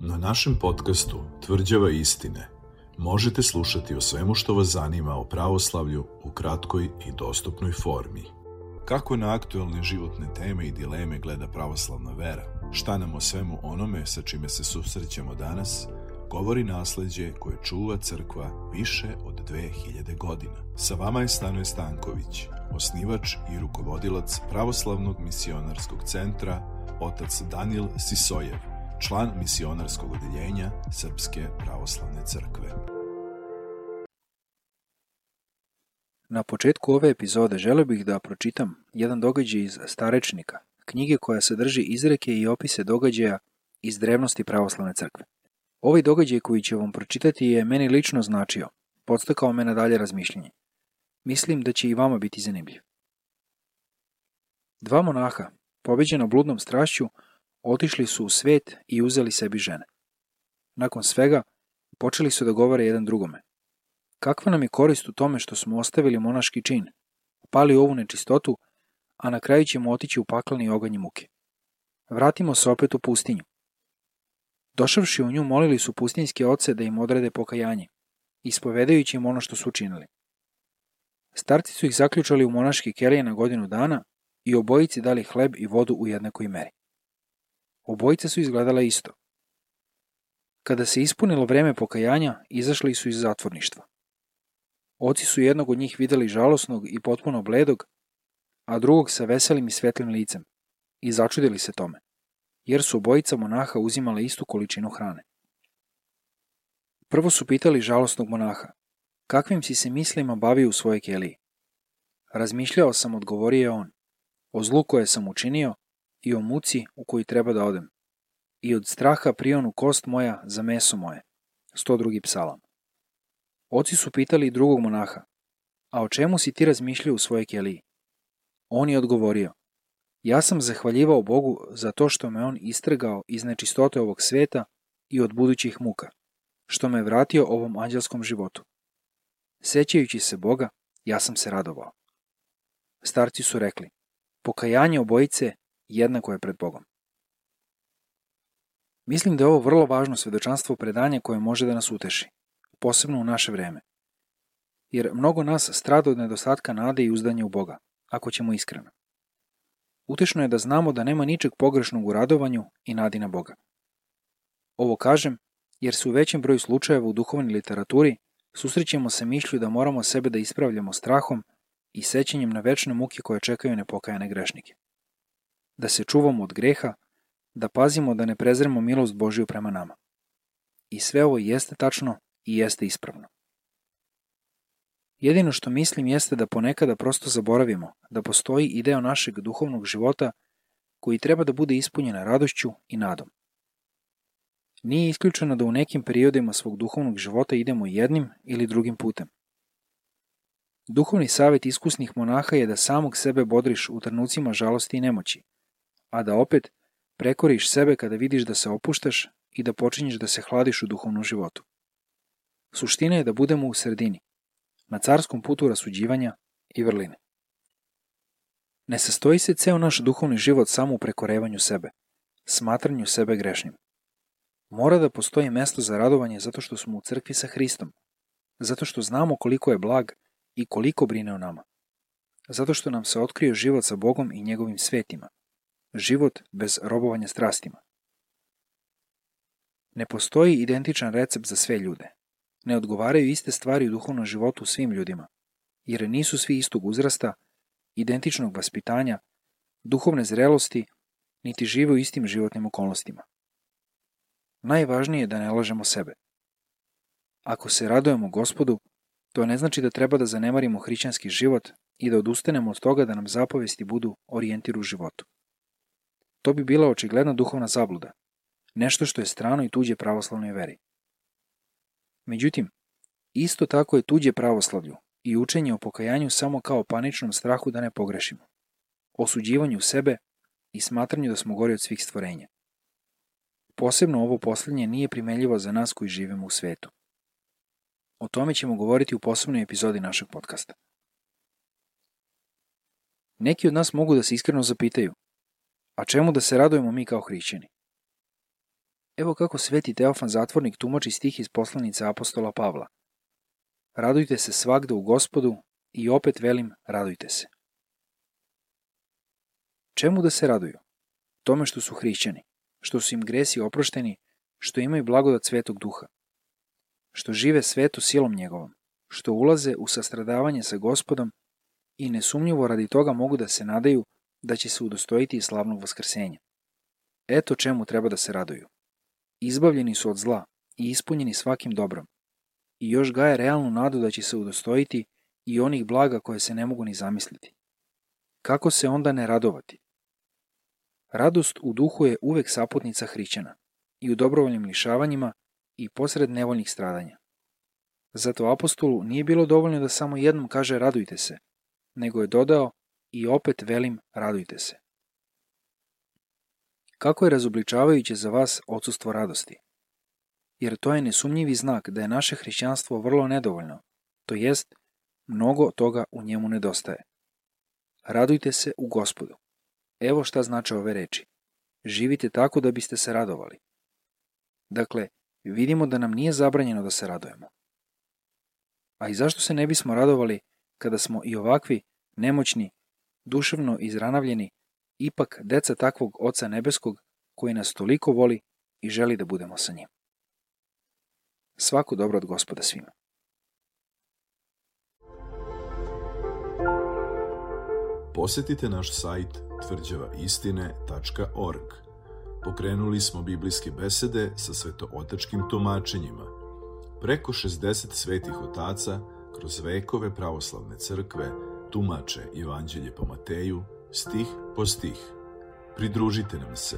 Na našem podcastu Tvrđava istine možete slušati o svemu što vas zanima o pravoslavlju u kratkoj i dostupnoj formi. Kako na aktuelne životne teme i dileme gleda pravoslavna vera? Šta nam o svemu onome sa čime se susrećemo danas govori nasleđe koje čuva crkva više od 2000 godina. Sa vama je Stanoje Stanković, osnivač i rukovodilac Pravoslavnog misionarskog centra, otac Danijel Sisojev, član misionarskog odeljenja Srpske pravoslavne crkve. Na početku ove epizode želeo bih da pročitam jedan događaj iz Starečnika, knjige koja sadrži izreke i opise događaja iz drevnosti pravoslavne crkve. Ovaj događaj koji ću vam pročitati je meni lično značio, podstakao me na dalje razmišljanje. Mislim da će i vama biti zanimljiv. Dva monaha, pobeđena bludnom strašću, otišli su u svet i uzeli sebi žene. Nakon svega, počeli su da govore jedan drugome. Kakva nam je korist u tome što smo ostavili monaški čin, pali ovu nečistotu, a na kraju ćemo otići u pakleni oganj muke. Vratimo se opet u pustinju. Došavši u nju, molili su pustinjske oce da im odrede pokajanje, ispovedajući im ono što su učinili. Starci su ih zaključali u monaške kelije na godinu dana i obojici dali hleb i vodu u jednakoj meri. Obojice su izgledala isto. Kada se ispunilo vreme pokajanja, izašli su iz zatvorništva. Oci su jednog od njih videli žalosnog i potpuno bledog, a drugog sa veselim i svetlim licem, i začudili se tome, jer su obojica monaha uzimale istu količinu hrane. Prvo su pitali žalosnog monaha, kakvim si se mislima bavio u svojoj keliji? Razmišljao sam, odgovorio je on, o zlu koje sam učinio i o muci u koju treba da odem, i od straha prionu kost moja za meso moje. 102. psalam. Oci su pitali i drugog monaha, a o čemu si ti razmišljao u svojoj keliji? On je odgovorio, ja sam zahvaljivao Bogu za to što me on istrgao iz nečistote ovog sveta i od budućih muka, što me vratio ovom anđelskom životu. Sećajući se Boga, ja sam se radovao. Starci su rekli, pokajanje obojice jednako je pred Bogom. Mislim da je ovo vrlo važno svedočanstvo predanja koje može da nas uteši, posebno u naše vreme. Jer mnogo nas strada od nedostatka nade i uzdanja u Boga, ako ćemo iskreno. Utešno je da znamo da nema ničeg pogrešnog u radovanju i nadi na Boga. Ovo kažem jer se u većem broju slučajeva u duhovnoj literaturi susrećemo se mišlju da moramo sebe da ispravljamo strahom i sećanjem na večne muke koje čekaju nepokajane grešnike. Da se čuvamo od greha, da pazimo da ne prezremo milost Božiju prema nama. I sve ovo jeste tačno i jeste ispravno. Jedino što mislim jeste da ponekada prosto zaboravimo da postoji i deo našeg duhovnog života koji treba da bude ispunjen radošću i nadom. Nije isključeno da u nekim periodima svog duhovnog života idemo jednim ili drugim putem. Duhovni savjet iskusnih monaha je da samog sebe bodriš u trenucima žalosti i nemoći, a da opet prekoriš sebe kada vidiš da se opuštaš i da počinješ da se hladiš u duhovnom životu. Suština je da budemo u sredini, na carskom putu rasuđivanja i vrline. Ne sastoji se ceo naš duhovni život samo u prekorevanju sebe, smatranju sebe grešnim. Mora da postoji mesto za radovanje zato što smo u crkvi sa Hristom, zato što znamo koliko je blag i koliko brine o nama, zato što nam se otkrio život sa Bogom i njegovim svetima, život bez robovanja strastima. Ne postoji identičan recept za sve ljude. Ne odgovaraju iste stvari u duhovnom životu svim ljudima, jer nisu svi istog uzrasta, identičnog vaspitanja, duhovne zrelosti, niti žive u istim životnim okolnostima. Najvažnije je da ne lažemo sebe. Ako se radujemo Gospodu, to ne znači da treba da zanemarimo hrišćanski život i da odustanemo od toga da nam zapovesti budu orijentir u životu. To bi bila očigledna duhovna zabluda, nešto što je strano i tuđe pravoslavnoj veri. Međutim, isto tako je tuđe pravoslavlju i učenje o pokajanju samo kao paničnom strahu da ne pogrešimo, osuđivanju sebe i smatranju da smo gori od svih stvorenja. Posebno ovo posljednje nije primenljivo za nas koji živimo u svetu. O tome ćemo govoriti u posebnoj epizodi našeg podcasta. Neki od nas mogu da se iskreno zapitaju, a čemu da se radujemo mi kao hrišćani? Evo kako sveti Teofan Zatvornik tumači stih iz poslanice apostola Pavla. Radujte se svagda u Gospodu i opet velim radujte se. Čemu da se raduju? Tome što su hrišćani, što su im gresi oprošteni, što imaju blagodat Svetog Duha, što žive svetu silom njegovom, što ulaze u sastradavanje sa Gospodom i nesumnjivo radi toga mogu da se nadaju da će se udostojiti i slavnog vaskrsenja. Eto čemu treba da se raduju. Izbavljeni su od zla i ispunjeni svakim dobrom. I još gaje realnu nadu da će se udostojiti i onih blaga koje se ne mogu ni zamisliti. Kako se onda ne radovati? Radost u duhu je uvek saputnica hrišćana, i u dobrovoljnim lišavanjima i posred nevoljnih stradanja. Zato apostolu nije bilo dovoljno da samo jednom kaže radujte se, nego je dodao i opet velim radujte se. Kako je razobličavajuće za vas odsustvo radosti? Jer to je nesumnjivi znak da je naše hrišćanstvo vrlo nedovoljno, to jest, mnogo toga u njemu nedostaje. Radujte se u Gospodu. Evo šta znače ove reči. Živite tako da biste se radovali. Dakle, vidimo da nam nije zabranjeno da se radujemo. A i zašto se ne bismo radovali kada smo i ovakvi, nemoćni, duševno izranavljeni, ipak deca takvog Oca nebeskog koji nas toliko voli i želi da budemo sa njim. Svako dobro od Gospoda svima. Posetite naš sajt tvrđavaistine.org. Pokrenuli smo biblijske besede sa svetootačkim tumačenjima. Preko 60 svetih otaca kroz vekove pravoslavne crkve tumače Evanđelje po Mateju, stih po stih. Pridružite nam se